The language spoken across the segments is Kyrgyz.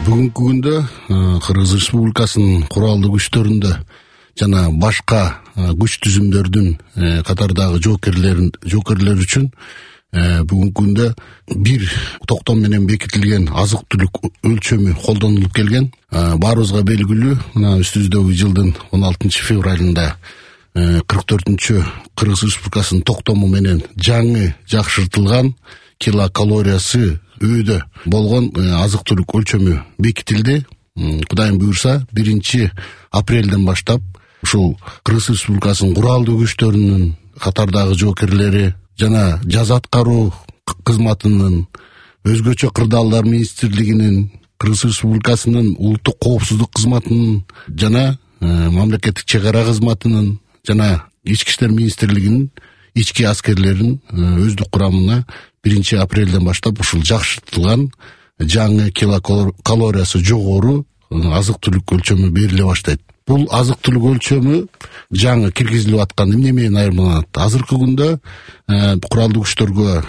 Бүгүнкү күндө Кыргыз Республикасынын куралдуу күчтөрүндө жана башка күч түзүмдөрдүн катардагы жоокерлер үчүн бүгүнкү күндө бир токтом менен бекитилген азык-түлүк өлчөмү колдонулуп келген. Баарыбызга белгилүү, мына үстүбүздөгү жылдын 16 февралында 44-чү Кыргыз Республикасынын токтому менен жаңы жакшыртылган килокалориясы өйдө болгон азык-түлүк өлчөмү бекитилди. Кудайым буйрса 1 апрелден баштап ушул Кыргыз Республикасынын куралдуу күчтөрүнүн катардагы жоокерлери жана жаза аткаруу кызматынын, өзгөчө кырдаалдар министрлигинин, Кыргыз Республикасынын улуттук коопсуздук кызматынын жана мамлекеттик чек ара кызматынын жана ички иштер министрлигинин ички аскерлерин өздүк курамына 1 апрелден баштап ушул жакшыртылган жаңы килокалориясы жогору азык-түлүк өлчөмү бериле баштайт. Бул азык-түлүк өлчөмү жаңы киргизилип аткан эмне менен айырмаланат? Азыркы күндө куралдуу күчтөргө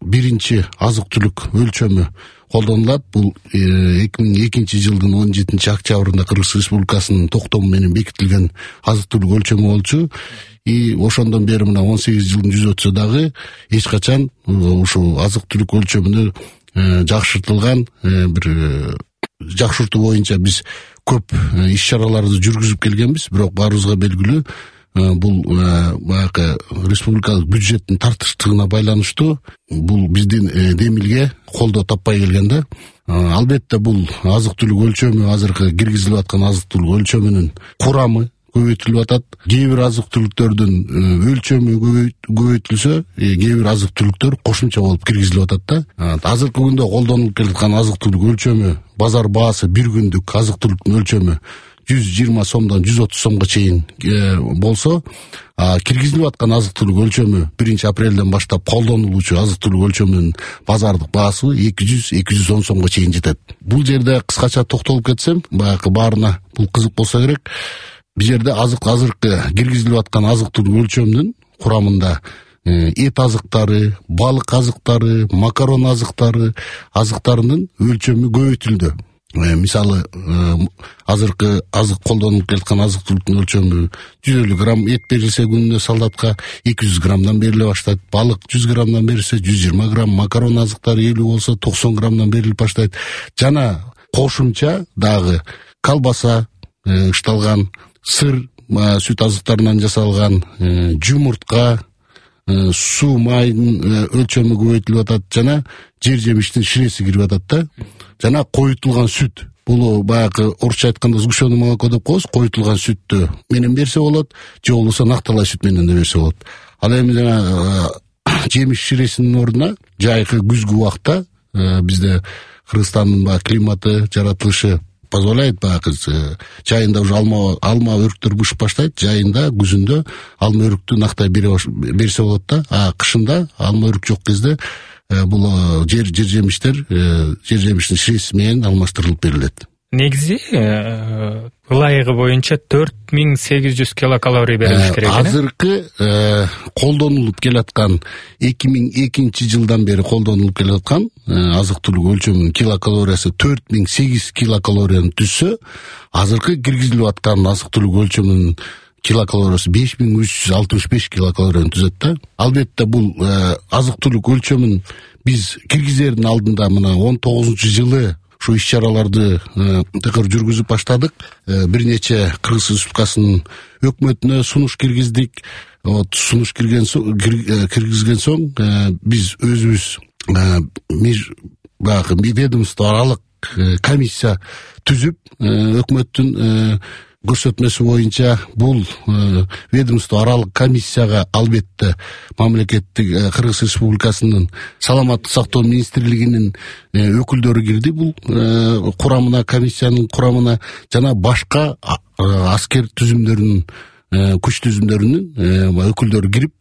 1 азык-түлүк өлчөмү колдонулат. Бул 2002 жылдын 17 октябрында Кыргыз Республикасынын токтому менен бекитилген азык-түлүк өлчөмү болчу. И ошондон бери мына 18 жылдын жүзү өтсө дагы эч качан ушул азык-түлүк өлчөмүнө жакшыртылган бир жакшыртуу боюнча биз көп иш-чараларды жүргүзүп келгенбиз. Бирок баарыбызга белгилүү, бул баягы республикалык бюджеттин тартыштыгына байланыштуу бул биздин демилге колдоо таппай келген да. Албетте бул азык-түлүк өлчөмү, азыркы киргизилип аткан азык-түлүк өлчөмүнүн курамы көбөйтүлүп атат. Кээ бир азык-түлүктөрдүн өлчөмү көбөйтүлсө, кээ бир азык-түлүктөр кошумча болуп киргизилип атат да. Азыркы күндө колдонулуп келаткан азык-түлүк өлчөмү, базар баасы бир күндүк азык-түлүктүн өлчөмү 120 сомдон 130 сомго чейин болсо, киргизилип аткан азык-түлүк өлчөмү 1 апрелден баштап колдонулуучу азык-түлүк өлчөмүнүн базардык баасы 200-210 сомго чейин жетет. Бул жерде кыскача токтолуп кетсем, баягы баарына бул кызык болсо керек. Бул жерде азыркы киргизилип аткан азык-түлүк өлчөмүнүн курамында эт азыктары, балык азыктары, макарон азыктарынын өлчөмү көбөйтүлдү. Мисалы, азыркы колдонулуп келаткан азык-түлүктүн өлчөмү 150 грамм эт берилсе күнүнө солдатка 200 граммдан бериле баштайт. Балык 100 граммдан берилсе 120 грамм, макарон азыктары 50 болсо 90 граммдан берилип баштайт. Жана кошумча дагы колбаса, ышталган сыр, сүт азыктарынан жасалган жумуртка, суу майдын өлчөмү көбөйтүлүп атат жана жер жемиштин ширеси кирип атат да. Жана коютулган сүт. Бул баягы орусча айтканда сгущенное молоко деп коебуз. Коютулган сүттү менен берсе болот, же болбосо накталай сүт менен да берсе болот. Ал эми жана жемиш ширесинин ордуна жайкы күзгү убакта бизде Кыргызстандын баягы климаты, жаратылышы позволяет, баягы жайында уже алма өрүктөр бышып баштайт, жайында күзүндө алма өрүктү нактай берсе болот да. Кышында алма өрүк жок кезде бул жер жемиштер жер жемиштин ширеси менен алмаштырылып берилет. Негизи ылайыгы боюнча 4800 килокалорий берилиш керек. Азыркы колдонулуп келаткан 2002 жылдан бери колдонулуп келаткан азык-түлүк өлчөмүнүн килокалориясы 4008 килокалорияны түзсө, азыркы киргизилип аткан азык-түлүк өлчөмүнүн килокалориясы 5365 килокалорияны түзөт да. Албетте бул азык-түлүк өлчөмүн биз киргизердин алдында мына 19-жылы ушу иш-чараларды тыкыр жүргүзүп баштадык. Бир нече Кыргыз Республикасынын өкмөтүнө сунуш киргиздик. Сунуш киргизген соң биз өзүбүз баягы ведомство аралык комиссия түзүп, өкмөттүн көрсөтмөсү боюнча бул ведомство аралык комиссияга албетте мамлекеттик Кыргыз Республикасынын саламаттык сактоо министрлигинин өкүлдөрү кирди бул курамына, комиссиянын курамына, жана башка аскер түзүмдөрүнүн, күч түзүмдөрүнүн өкүлдөрү кирип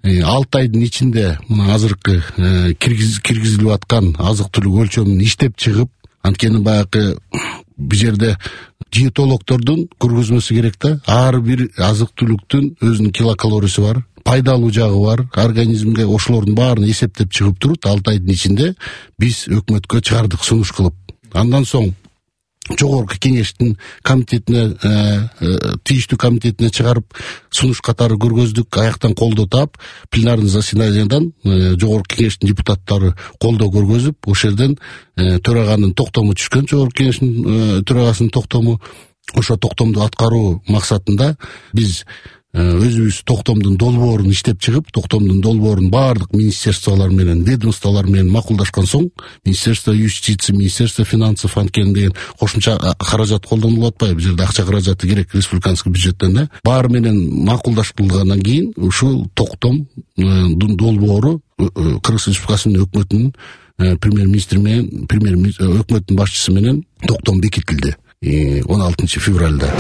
6 айдын ичинде мына азыркы киргизилип аткан азык-түлүк өлчөмүн иштеп чыгып, анткени баягы бул жерде диетологдордун көргөзмөсү керек да. Ар бир азык-түлүктүн өзүнүн килокалориясы бар, пайдалуу жагы бар. Организмге ошолордун баарын эсептеп чыгып туруп, 6 айдын ичинде биз өкмөткө чыгардык сунуш кылып. Андан соң жогорку кеңештин комитетине тийиштүү комитетине чыгарып сунуш катары көргөздүк. Аяктан колдоо таап пленарный заседаниядан жогорку кеңештин депутаттары колдоо көргөзүп, ошол жерден төраганын токтому түшкөн, жогорку кеңештин төрагасынын токтому. Ошо токтомду аткаруу максатында биз өзүбүз токтомдун долбоорун иштеп чыгып, токтомдун долбоорун баардык министерстволор менен, ведомстволор менен макулдашкан соң, Министерство юстиции, Министерство финансов анткени деген кошумча каражат колдонулуп атпайбы? Бул жерде акча каражаты керек республиканский бюджеттен да. Баары менен макулдашылгандан кийин ушул токтомдун долбоору Кыргыз Республикасынын өкмөтүнүн премьер-министри менен, өкмөттүн башчысы менен токтом бекитилди 16 февралда.